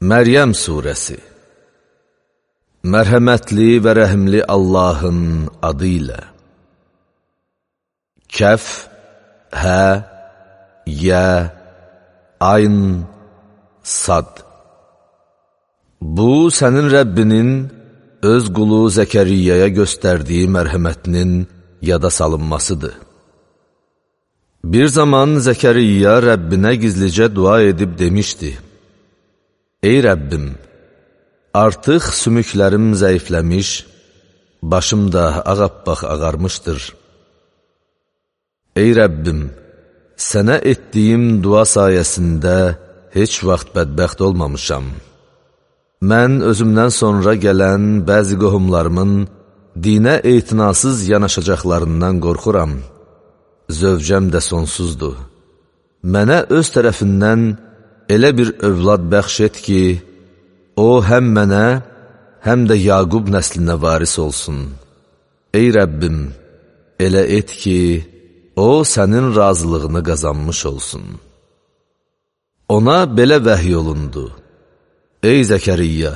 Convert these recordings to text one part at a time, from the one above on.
Məryəm surəsi. Mərhəmətli və rəhimli Allahın adı ilə. Kəf, hə, yə, ayn, sad. Bu, sənin Rəbbinin öz qulu Zəkəriyyəyə göstərdiyi mərhəmətinin yada salınmasıdır. Bir zaman Zəkəriyyə Rəbbinə gizlicə dua edib demişdi: Ey Rəbbim, artıq sümüklərim zəifləmiş, başım da ağappaq ağarmışdır. Ey Rəbbim, sənə etdiyim dua sayəsində heç vaxt bədbəxt olmamışam. Mən özümdən sonra gələn bəzi qohumlarımın dinə etinasız yanaşacaqlarından qorxuram. Zövcəm də sonsuzdur. Mənə öz tərəfindən elə bir övlad bəxş et ki, o həm mənə, həm də Yaqub nəslinə varis olsun. Ey Rəbbim, elə et ki, o sənin razılığını qazanmış olsun. Ona belə vəhiy olundu: Ey Zəkəriyyə,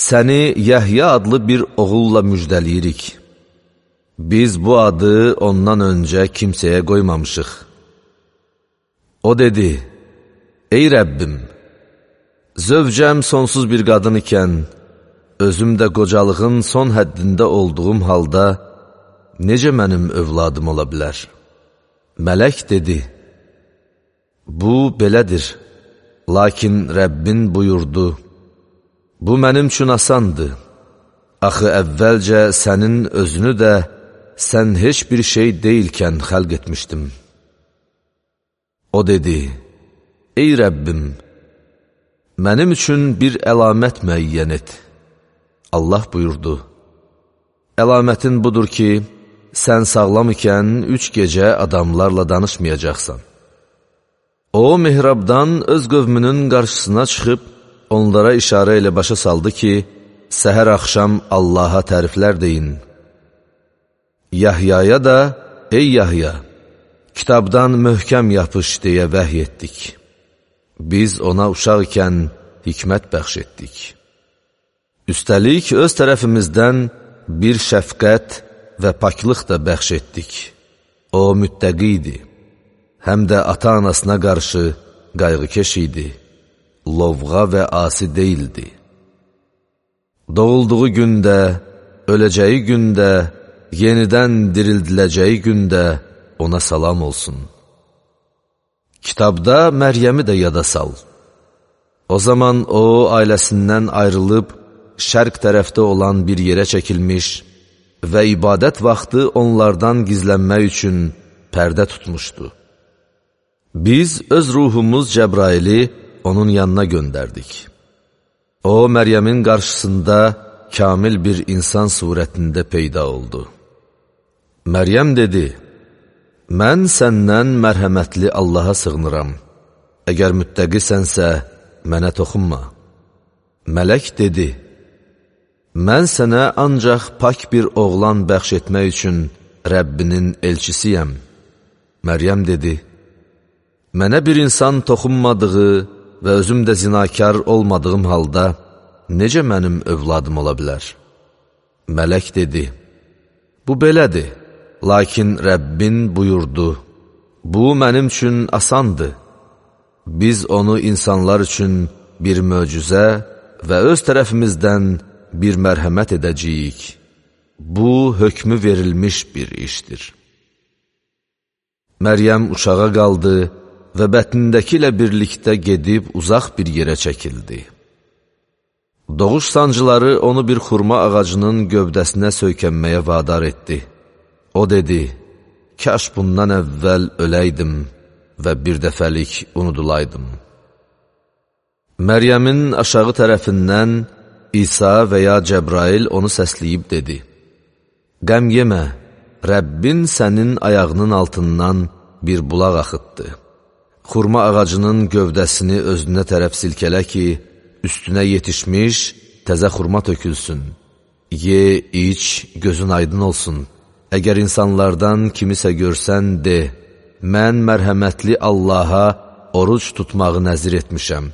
səni Yəhya adlı bir oğulla müjdəliyirik. Biz bu adı ondan öncə kimsəyə qoymamışıq. O dedi: Ey Rəbbim, zövcəm sonsuz bir qadın ikən, özüm də qocalığın son həddində olduğum halda, necə mənim övladım ola bilər? Mələk dedi: Bu belədir, lakin Rəbbin buyurdu: Bu mənim üçün asandır. Axı əvvəlcə sənin özünü də sən heç bir şey deyilkən xəlq etmişdim. O dedi: Ey Rəbbim, mənim üçün bir əlamət müəyyən et. Allah buyurdu: Əlamətin budur ki, sən sağlam ikən 3 gecə adamlarla danışmayacaqsan. O, mihrabdan öz qövmünün qarşısına çıxıb, onlara işarə ilə başa saldı ki, səhər axşam Allaha təriflər deyin. Yahyaya da, ey Yahya, kitabdan möhkəm yapış deyə vəhy etdik. Biz ona uşaq ikən hikmət bəxş etdik. Üstəlik, öz tərəfimizdən bir şəfqət və paklıq da bəxş etdik. O müttəqi idi, həm də ata-anasına qarşı qayğıkeş idi, lovğa və asi deyildi. Doğulduğu gündə, öləcəyi gündə, yenidən dirildiləcəyi gündə ona salam olsun. Kitabda Məryəmi də yada sal. O zaman o, ailəsindən ayrılıb, şərq tərəfdə olan bir yerə çəkilmiş və ibadət vaxtı onlardan gizlənmək üçün pərdə tutmuşdu. Biz öz ruhumuz Cəbraili onun yanına göndərdik. O, Məryəmin qarşısında kamil bir insan surətində peyda oldu. Məryəm dedi: Mən səndən mərhəmətli Allaha sığınıram. Əgər müttəqisənsə, mənə toxunma. Mələk dedi: Mən sənə ancaq pak bir oğlan bəxş etmək üçün Rəbbinin elçisiyəm. Məryəm dedi: Mənə bir insan toxunmadığı və özüm də zinakar olmadığım halda, necə mənim övladım ola bilər? Mələk dedi: Bu belədir, lakin Rəbbin buyurdu: Bu mənim üçün asandır. Biz onu insanlar üçün bir möcüzə və öz tərəfimizdən bir mərhəmət edəcəyik. Bu, hökmü verilmiş bir işdir. Məryəm uşağa qaldı və bətnindəki ilə birlikdə gedib uzaq bir yerə çəkildi. Doğuş sancıları onu bir xurma ağacının gövdəsinə söykənməyə vadar etdi. O dedi: Kaş bundan əvvəl öləydim və bir dəfəlik unudulaydım. Məryəmin aşağı tərəfindən İsa və ya Cəbrail onu səsləyib dedi: Qəm yemə, Rəbbin sənin ayağının altından bir bulaq axıtdı. Xurma ağacının gövdəsini özünə tərəf silkələ ki, üstünə yetişmiş təzə xurma tökülsün. Ye, iç, gözün aydın olsun. Əgər insanlardan kimisə görsən, de: Mən mərhəmətli Allaha oruc tutmağı nəzir etmişəm.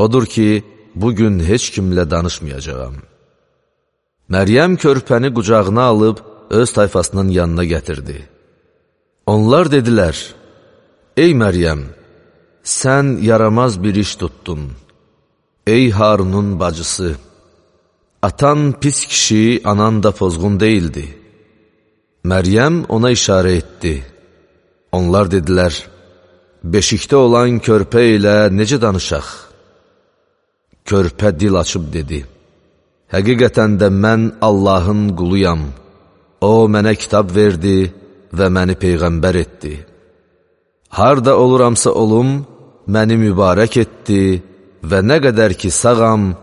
Odur ki, bugün heç kimlə danışmayacağam. Məryəm körpəni qucağına alıb, öz tayfasının yanına gətirdi. Onlar dedilər, ey Məryəm, sən yaramaz bir iş tutdun. Ey Harunun bacısı, atan pis kişi, anan da pozğun deyildi. Məryəm ona işarə etdi. Onlar dedilər, beşikdə olan körpə ilə necə danışaq? Körpə dil açıb dedi, həqiqətən də mən Allahın quluyam. O mənə kitab verdi və məni peyğəmbər etdi. Harda oluramsa olum, məni mübarək etdi və nə qədər ki sağam,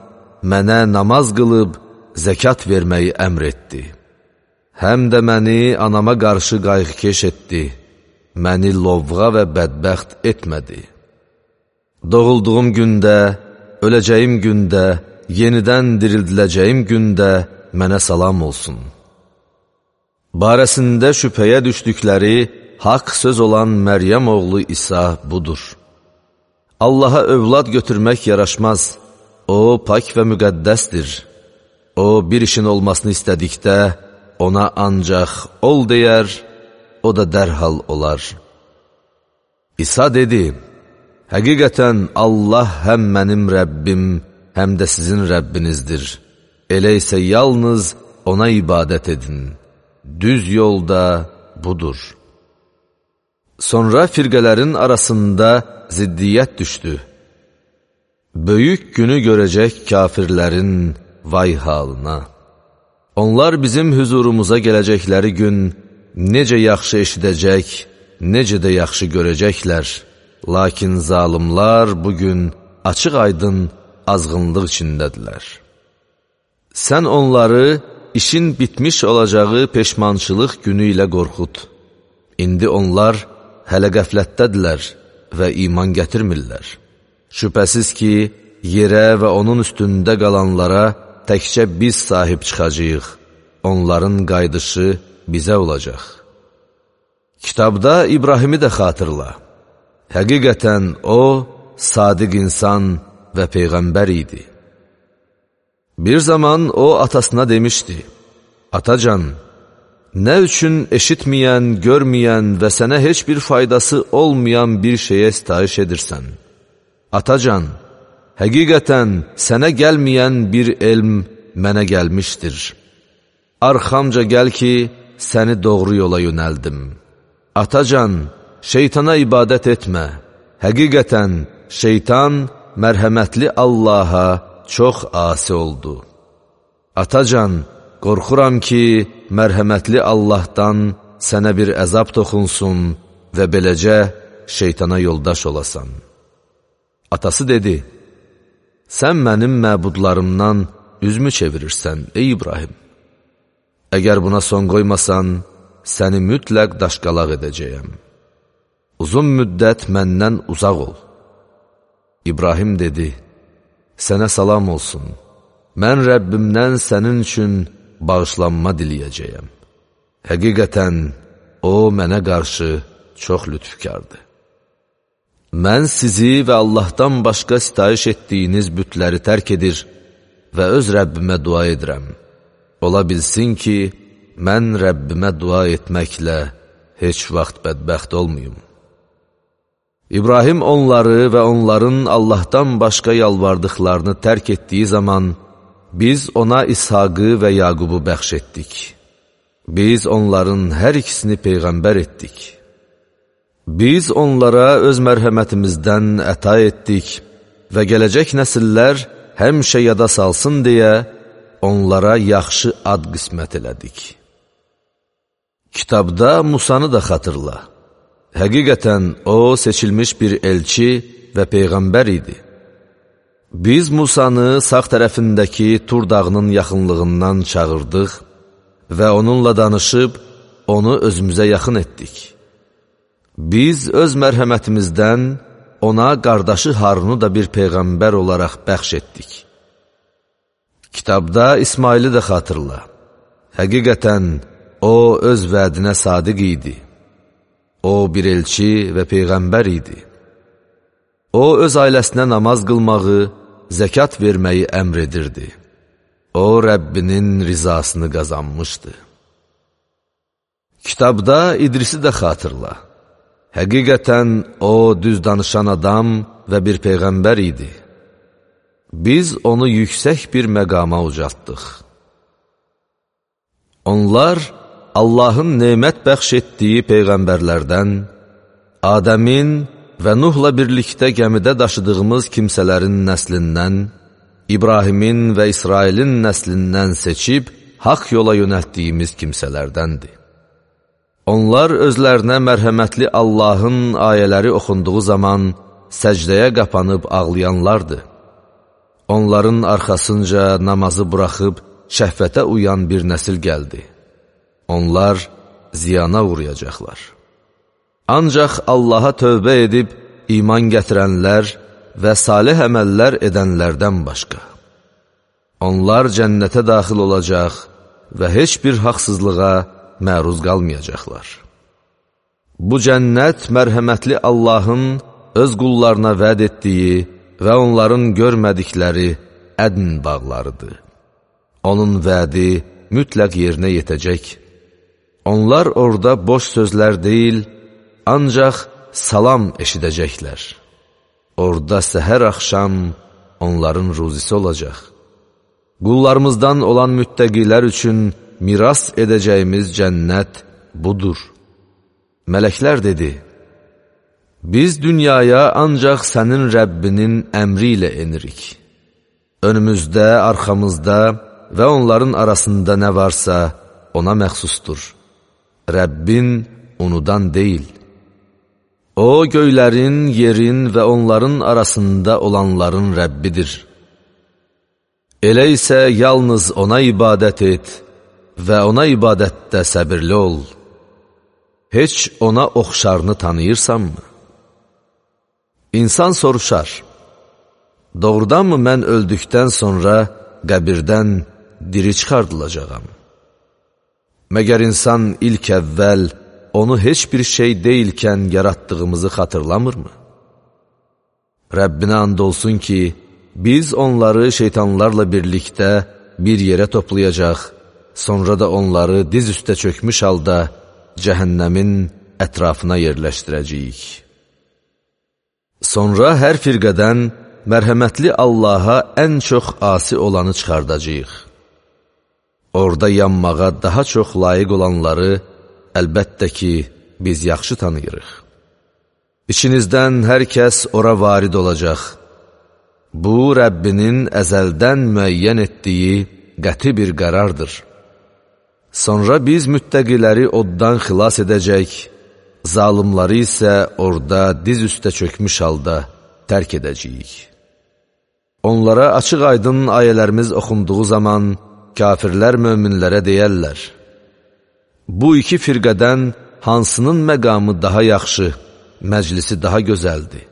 mənə namaz qılıb, zəkat verməyi əmr etdi. Həm də məni anama qarşı qayğıkeş etdi, məni lovğa və bədbəxt etmədi. Doğulduğum gündə, öləcəyim gündə, yenidən dirildiləcəyim gündə mənə salam olsun. Barəsində şübhəyə düşdükləri haqq söz olan Məryəm oğlu İsa budur. Allaha övlad götürmək yaraşmaz, o pak və müqəddəsdir. O bir işin olmasını istədikdə ona ancaq ol deyər, o da dərhal olar. İsa dedi, həqiqətən Allah həm mənim Rəbbim, həm də sizin Rəbbinizdir. Elə isə yalnız ona ibadət edin. Düz yolda budur. Sonra firqələrin arasında ziddiyyət düşdü. Böyük günü görəcək kafirlərin vay halına. Onlar bizim huzurumuza gələcəkləri gün necə yaxşı eşidəcək, necə də yaxşı görəcəklər. Lakin zalimlar bugün açıq-aydın azğınlıq içindədirlər. Sən onları işin bitmiş olacağı peşmançılıq günü ilə qorxut. İndi onlar hələ qəflətdədirlər və iman gətirmirlər. Şübhəsiz ki, yerə və onun üstündə qalanlara təkcə biz sahib çıxacağıq. Onların qayıdışı bizə olacaq. Kitabda İbrahimi də xatırla. Həqiqətən o, sadiq insan və peyğəmbər idi. Bir zaman o atasına demişdi, atacan, nə üçün eşitməyən, görməyən və sənə heç bir faydası olmayan bir şeyə sitayiş edirsən? Atacan, həqiqətən sənə gəlməyən bir elm mənə gəlmişdir. Arxamca gəl ki, səni doğru yola yönəldim. Atacan, şeytana ibadət etmə. Həqiqətən, şeytan mərhəmətli Allaha çox asi oldu. Atacan, qorxuram ki, mərhəmətli Allahdan sənə bir əzab toxunsun və beləcə şeytana yoldaş olasan. Atası dedi, sən mənim məbudlarımdan üzmü çevirirsən, ey İbrahim? Əgər buna son qoymasan, səni mütləq daşqalaq edəcəyəm. Uzun müddət məndən uzaq ol. İbrahim dedi, sənə salam olsun. Mən Rəbbimdən sənin üçün bağışlanma diləyəcəyəm. Həqiqətən, o mənə qarşı çox lütfkardır. Mən sizi və Allahdan başqa sitayiş etdiyiniz bütləri tərk edir və öz Rəbbimə dua edirəm. Ola bilsin ki, mən Rəbbimə dua etməklə heç vaxt bədbəxt olmayım. İbrahim onları və onların Allahdan başqa yalvardıqlarını tərk etdiyi zaman, biz ona İshaqı və Yaqubu bəxş etdik. Biz onların hər ikisini peyğəmbər etdik. Biz onlara öz mərhəmətimizdən əta etdik və gələcək nəsillər həmişə yada salsın deyə onlara yaxşı ad qismət elədik. Kitabda Musanı da xatırla. Həqiqətən o seçilmiş bir elçi və peyğəmbər idi. Biz Musanı sağ tərəfindəki Tur dağının yaxınlığından çağırdıq və onunla danışıb onu özümüzə yaxın etdik. Biz öz mərhəmətimizdən ona qardaşı Harunu da bir peyğəmbər olaraq bəxş etdik. Kitabda İsmaili də xatırla. Həqiqətən o öz vədinə sadiq idi. O bir elçi və peyğəmbər idi. O öz ailəsinə namaz qılmağı, zəkat verməyi əmr edirdi. O, Rəbbinin rizasını qazanmışdı. Kitabda İdrisi də xatırla. Həqiqətən o, düz danışan adam və bir peyğəmbər idi. Biz onu yüksək bir məqama ucaltdıq. Onlar, Allahın nemət bəxş etdiyi peyğəmbərlərdən, Adəmin və Nuhla birlikdə gəmidə daşıdığımız kimsələrin nəslindən, İbrahimin və İsrailin nəslindən seçib, haqq yola yönəltdiyimiz kimsələrdəndir. Onlar özlərinə mərhəmətli Allahın ayələri oxunduğu zaman səcdəyə qapanıb ağlayanlardır. Onların arxasınca namazı buraxıb şəhvətə uyan bir nəsil gəldi. Onlar ziyana uğrayacaqlar. Ancaq Allaha tövbə edib iman gətirənlər və salih əməllər edənlərdən başqa. Onlar cənnətə daxil olacaq və heç bir haqsızlığa məruz qalmayacaqlar. Bu cənnət mərhəmətli Allahın öz qullarına vəd etdiyi və onların görmədikləri ədn bağlarıdır. Onun vədi mütləq yerinə yetəcək. Onlar orada boş sözlər deyil, ancaq salam eşidəcəklər. Orada səhər axşam onların ruzisi olacaq. Qullarımızdan olan müttəqilər üçün miras edəcəyimiz cənnət budur. Mələklər dedi, biz dünyaya ancaq sənin Rəbbinin əmri ilə enirik. Önümüzdə, arxamızda və onların arasında nə varsa ona məxsusdur. Rəbbin unudan deyil. O, göylərin, yerin və onların arasında olanların Rəbbidir. Elə isə yalnız ona ibadət et və ona ibadətdə səbirli ol. Heç ona oxşarını tanıyırsanmı? İnsan soruşar, doğrudanmı mən öldükdən sonra qəbirdən diri çıxardılacağam? Məgər insan ilk əvvəl onu heç bir şey deyilkən yaratdığımızı xatırlamırmı? Rəbbinə and olsun ki, biz onları şeytanlarla birlikdə bir yerə toplayacaq, sonra da onları diz üstə çökmüş halda cəhənnəmin ətrafına yerləşdirəcəyik. Sonra hər firqədən mərhəmətli Allaha ən çox asi olanı çıxardacağıq. Orada yanmağa daha çox layiq olanları əlbəttə ki, biz yaxşı tanıyırıq. İçinizdən hər kəs ora varid olacaq. Bu, Rəbbinin əzəldən müəyyən etdiyi qəti bir qərardır. Sonra biz müttəqiləri oddan xilas edəcək, zalimları isə orada diz üstə çökmüş halda tərk edəcəyik. Onlara açıq aydın ayələrimiz oxunduğu zaman kafirlər möminlərə deyərlər, bu iki firqədən hansının məqamı daha yaxşı, məclisi daha gözəldir?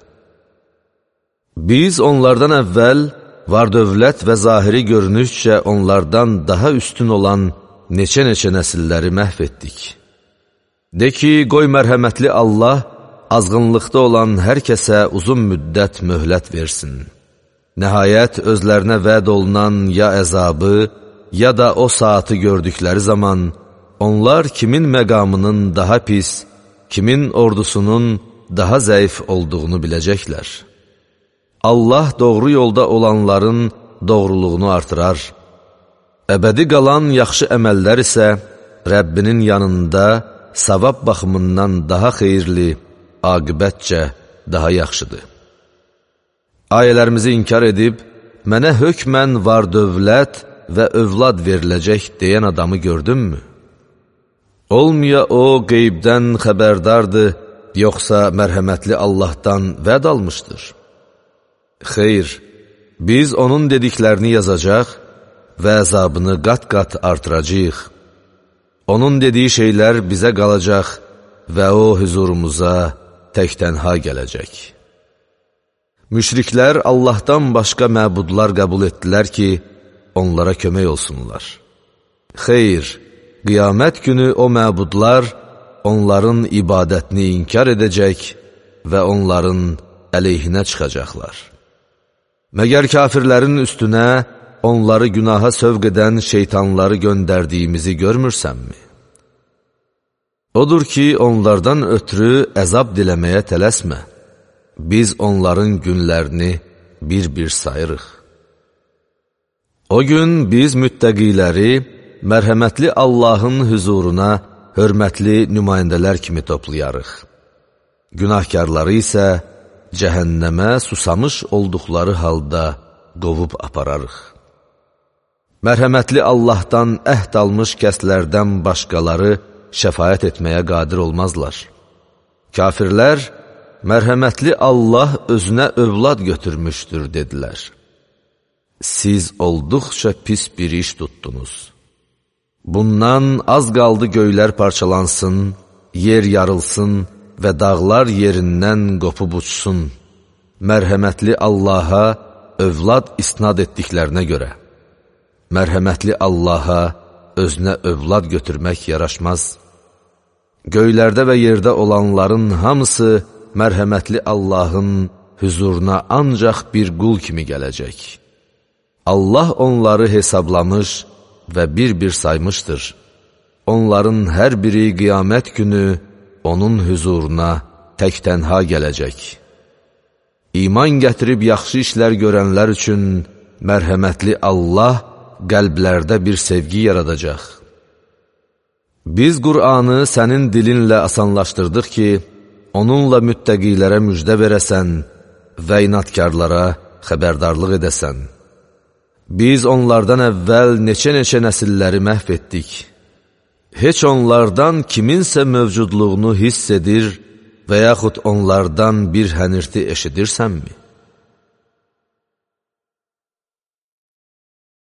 Biz onlardan əvvəl var-dövlət və zahiri görünüşcə onlardan daha üstün olan neçə-neçə nəsilləri məhv etdik. De ki, qoy mərhəmətli Allah azğınlıqda olan hər kəsə uzun müddət möhlət versin. Nəhayət özlərinə vəd olunan ya əzabı, ya da o saatı gördükləri zaman onlar kimin məqamının daha pis, kimin ordusunun daha zəif olduğunu biləcəklər. Allah doğru yolda olanların doğruluğunu artırar. Əbədi qalan yaxşı əməllər isə Rəbbinin yanında savab baxımından daha xeyirli, aqibətcə daha yaxşıdır. Ayələrimizi inkar edib, mənə hökmən var dövlət və övlad veriləcək deyən adamı gördünmü? Olmaya o qeybdən xəbərdardır, yoxsa mərhəmətli Allahdan vəd almışdır? Xeyr, biz onun dediklərini yazacaq və əzabını qat-qat artıracaq. Onun dediyi şeylər bizə qalacaq və o huzurumuza tək-tənha gələcək. Müşriklər Allahdan başqa məbudlar qəbul etdilər ki, onlara kömək olsunlar. Xeyr, qiyamət günü o məbudlar onların ibadətini inkar edəcək və onların əleyhinə çıxacaqlar. Məgər kafirlərin üstünə onları günaha sövq edən şeytanları göndərdiyimizi görmürsənmi? Odur ki, onlardan ötürü əzab diləməyə tələsmə. Biz onların günlərini bir-bir sayırıq. O gün biz müttəqiləri mərhəmətli Allahın hüzuruna hörmətli nümayəndələr kimi toplayarıq. Günahkarları isə cəhənnəmə susamış olduqları halda qovub apararıq. Mərhəmətli Allahdan əhd almış kəslərdən başqaları şəfaət etməyə qadir olmazlar. Kafirlər, mərhəmətli Allah özünə övlad götürmüşdür, dedilər. Siz olduqca pis bir iş tutdunuz. Bundan az qaldı göylər parçalansın, yer yarılsın və dağlar yerindən qopub uçsun. Mərhəmətli Allaha övlad isnad etdiklərinə görə. Mərhəmətli Allaha özünə övlad götürmək yaraşmaz. Göylərdə və yerdə olanların hamısı mərhəmətli Allahın hüzuruna ancaq bir qul kimi gələcək. Allah onları hesablamış və bir-bir saymışdır. Onların hər biri qiyamət günü onun hüzuruna tək-tənha gələcək. İman gətirib yaxşı işlər görənlər üçün mərhəmətli Allah qəlblərdə bir sevgi yaradacaq. Biz Qur'anı sənin dilinlə asanlaşdırdıq ki, onunla müttəqilərə müjdə verəsən və inatkarlara xəbərdarlıq edəsən. Biz onlardan əvvəl neçə-neçə nəsilləri məhv etdik. Heç onlardan kiminsə mövcudluğunu hiss edir və yaxud onlardan bir hənirti eşidirsənmi?